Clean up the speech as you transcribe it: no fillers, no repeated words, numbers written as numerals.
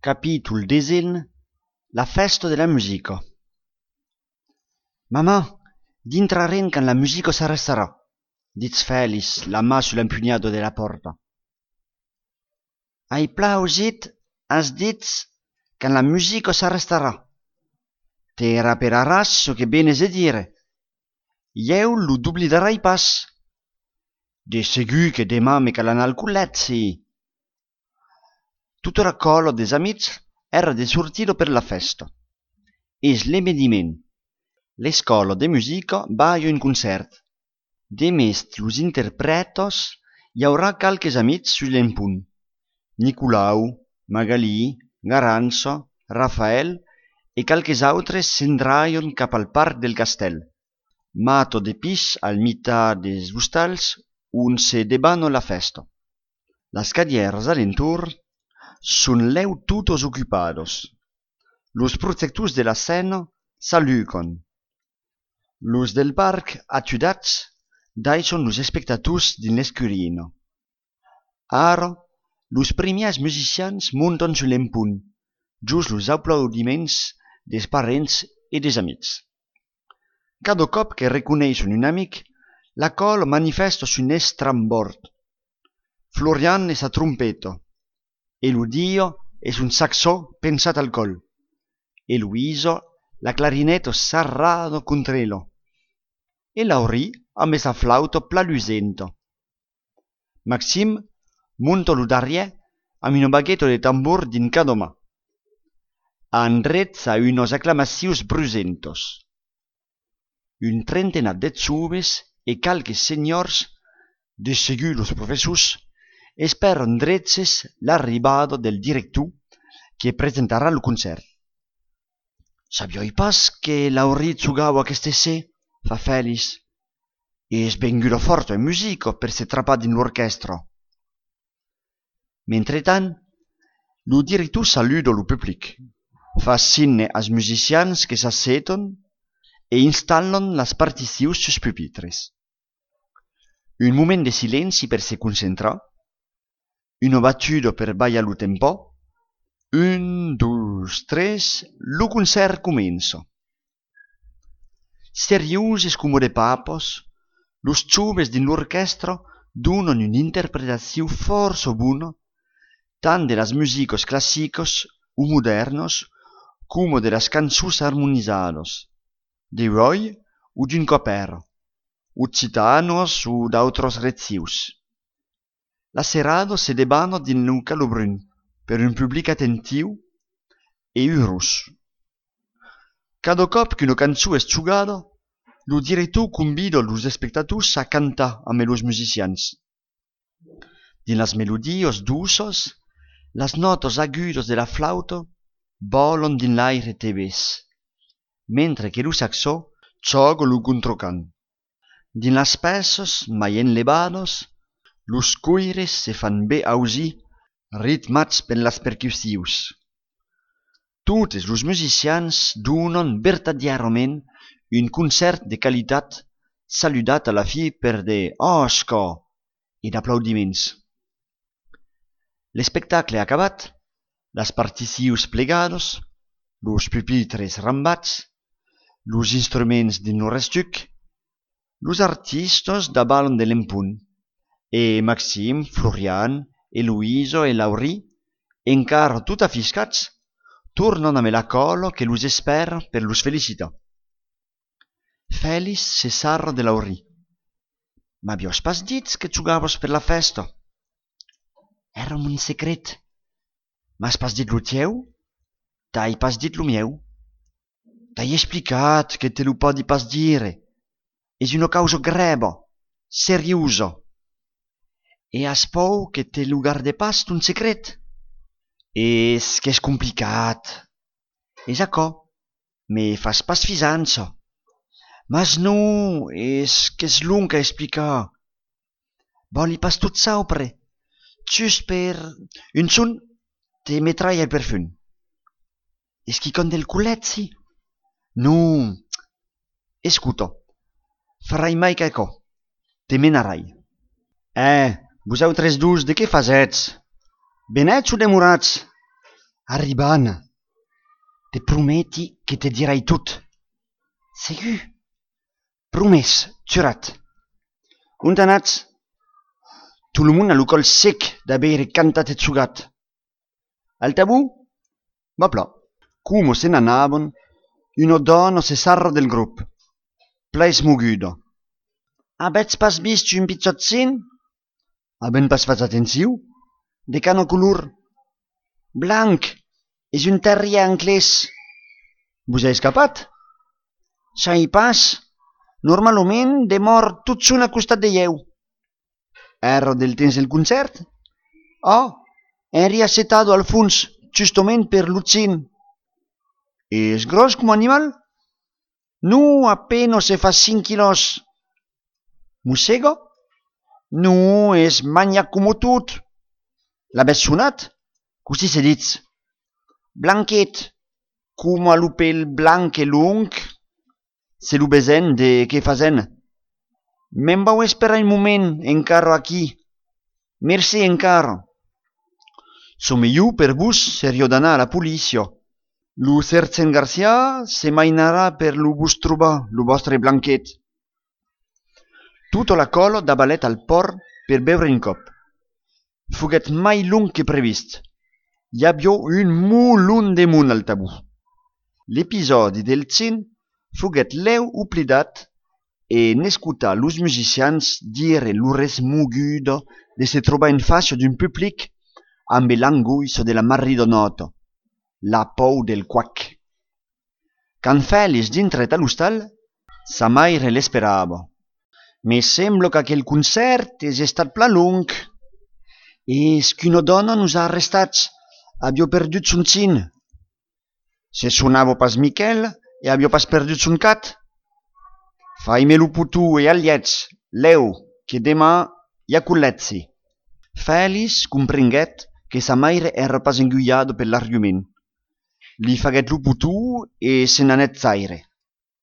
Capítol 10. La festa de la musica. Mamma, dintrarem quand la musica s'arrestarà, dits Fèlix, la mà sull'empugnado de la porta. Ai plausit, has dits quand la musica s'arrestarà. Te raperaràs so que benes a dire. Jeu lo d'oblidarai pas. De segur que demà me calan al cullet, si. Tutto raccollo des amics era de sortire per la festa. Es l'emediment. L'escola de musica va a un concert. Demest los interpretos hi haurà calques amics sus l'empunt. Nicolau, Magalí, Garanzo, Rafael e calques autres s'endraion cap al parc del castell. Mato de pis al mitat des hostals on se debano la festa. Las cadieras alentur son leu tutos ocupados. Los protectors de la scena salucon. Los del parc atudats daison los espectators din l'escurino. Ara, los premiats musicians monton sul l'empunt, just los aplaudiments des parents e des amics. Cada cop que reconeixen un amic, la cola manifesta son estrambord. Florian es a trompeta, Eludio es un saxo pensat al col, e Luiso la clarinetto sarrado contrelo, e Lauri amb esa flauta plalusenta. Maxime monta lo darriè amb una baguetta de tambor din cada mà. Andrez a unos acclamacions brusentos. Un trentena de joves e calques senyors, de segur los professors, esperan dreches l'arribada del director que presentarà el concert. Sabioi pas que Lauri jugava aquesta se, fa Fèlix. Es venguda forta en musica per se trapar din l'orchestra. Mentretant, lo director saluda lo public, fa signe als musicians que s'asseton e installan las particions sus pupitres. Un moment de silenci per se concentrar, una battuda per ballar lo tempo. 1, 2, 3, lo concert comença. Serioses como de papos, los joves din l'orchestra donan un'interpretació força bona tant de las musicos clàssicos o modernos como de las cançons harmonizadas, de Roy o d'un copero, occitanos o d'autres rezius. La serrada se debana din un calobrun per un public attentiu e uros. Cada cop qu'una cançó es jugada, lo director convida los espectators a cantar amb los musicians. Din las melodies dulces, las notes agudes de la flauta volan din l'aire tebès, mentre que lo saxó xoga lo contracant. Din las peces mai enlevadas, los coires se fan bé ausir, ritmats per las percussions. Totes los musicians donen vertadièrament un concert de qualitat saludat a la fi per de «Osca» e d'aplaudiments. L'espectacle acabat, las particions plegades, los pupitres rambats, los instruments din lo restuc, los artistes davant de l'empunt, e Maxime, Florian, e Luiso e Lauri, encara tot afiscats, tornen amb la cola que los espera per los felicitar. Fèlix se sarra de Lauri. M'avies pas dit que jugaves per la festa? Era un secret. M'has pas dit lo teu? T'hai pas dit lo mieu? T'hai explicat que te lo podi pas dire. És una causa greva, seriosa. E has por que te lo garde pas ton secret? És que és complicat. És aquò, me fas pas fisança. Mas no, és que és long a explicar. Voli pas tot saupre. Just per un son te metrai al perfum. És qui con del culet, si? No, escuta, farai mai qualcò. Te menarai. Vosaltres dus de què fasets? Benets o demorats? Arribana, te prometi che te dirai tot. Segur? Promès, jurat. On t'anats? Tout le monde a lo col sec d'haver cantat et sugat. Al tabù? Va plà. Come se n'anavano, una donna se sarra del gruppo, plei smuguda. Abets pas vist un pizzotzin? Haben pas fatto attenzione? De cano color blanc és un terrier anglès. Vos ha escapat? Sai pas. Normalment demor tot son a costat de ieu. Era del temps del concert? Oh, eri acetato al fons, justament per l'utzin. És gros com animal? No, apenas se fa 5 quilos. Mossega? No, és manyac com tot. L'habés sonat? Così se ditz. Blanquet, com a lo pel blanc e long, se lo besen de què fazen. Me'n vau esperar un moment encara aquí. Merci encara. Someiu per vos serio d'anar a la policia. Lo sergent Garcia se mainarà per lo vos trobar, lo vostre blanquet. Tutta la cola dabalet al port per beure un cop. Foguet mai long que previst. Hi havia un mulon de món al tabú. L'episodi del cin foguet leu oblidat e n'escutar los musicians dire l'ures moguda de se trobar en face d'un public amb l'angoisso de la maridonata, la por del quac. Quand Félix dintret a l'hostal, sa maire l'esperava. Me sembla que aquel concert és estat pla long. És que una dona nos ha arrestats. Avió perdut son cin. Se sonava pas Miquel e avió pas perdut son cat. Faime lo putu e aliets, leu, que demà hi ha culletzi. Félix comprenguet que sa maire era pas enguiada per l'argument. Li faguet lo putu e se n'anet zaire.